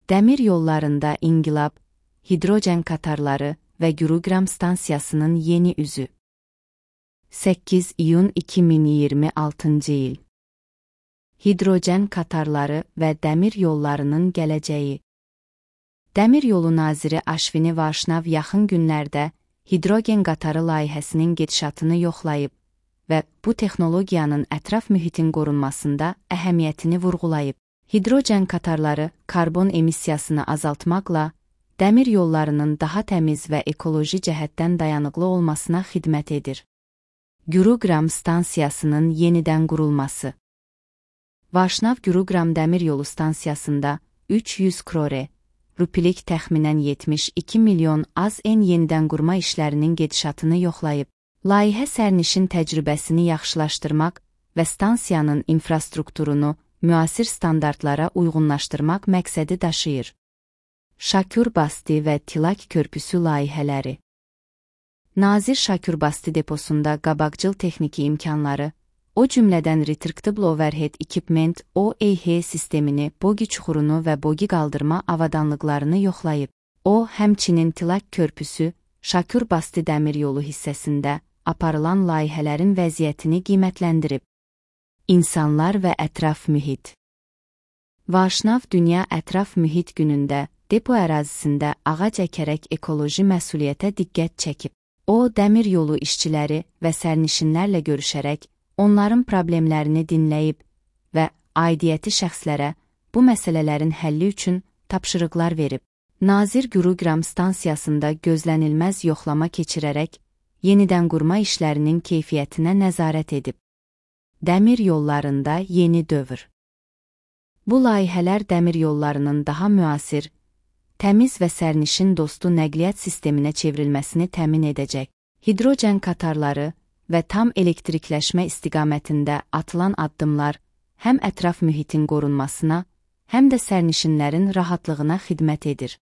Dəmir yollarında inqilab, hidrogen qatarları və Gurugram stansiyasının yeni üzü. 8 iyun 2026 il. Hidrogen qatarları və dəmir yollarının gələcəyi. Dəmir yolu naziri Ashvini Vaishnav yaxın günlərdə hidrogen qatarı layihəsinin gedişatını yoxlayıb və bu texnologiyanın ətraf mühitin qorunmasında əhəmiyyətini vurğulayıb. Hidrogen qatarları karbon emissiyasını azaltmaqla dəmir yollarının daha təmiz və ekoloji cəhətdən dayanıqlı olmasına xidmət edir. Gurugram stansiyasının yenidən qurulması. Vaishnav Gurugram dəmir yolu stansiyasında 300 crore rupilik təxminən 72 milyon AZN yenidən qurma işlərinin gedişatını yoxlayıb. Layihə sərnişin təcrübəsini yaxşılaşdırmaq və stansiyanın infrastrukturunu müasir standartlara uyğunlaşdırmaq məqsədi daşıyır. Şakurbasti və Tilak körpüsü layihələri. Nazir Şakurbasti deposunda qabaqcıl texniki imkanları, o cümlədən Retractable Overhead Equipment OEH sistemini, bogi çuxurunu və bogi qaldırma avadanlıqlarını yoxlayıb. O, həmçinin Tilak körpüsü, Şakurbasti dəmir yolu hissəsində aparılan layihələrin vəziyyətini qiymətləndirib. İnsanlar və ətraf mühit. Vaishnav Dünya Ətraf Mühit Günündə depo ərazisində ağac əkərək ekoloji məsuliyyətə diqqət çəkib. O, dəmir yolu işçiləri və sərnişinlərlə görüşərək, onların problemlərini dinləyib və aidiyyəti şəxslərə bu məsələlərin həlli üçün tapşırıqlar verib. Nazir Gurugram stansiyasında gözlənilməz yoxlama keçirərək, yenidən qurma işlərinin keyfiyyətinə nəzarət edib. Dəmir yollarında yeni dövr. Bu layihələr dəmir yollarının daha müasir, təmiz və sərnişin dostu nəqliyyat sisteminə çevrilməsini təmin edəcək. Hidrogen qatarları və tam elektrikləşmə istiqamətində atılan addımlar həm ətraf mühitin qorunmasına, həm də sərnişinlərin rahatlığına xidmət edir.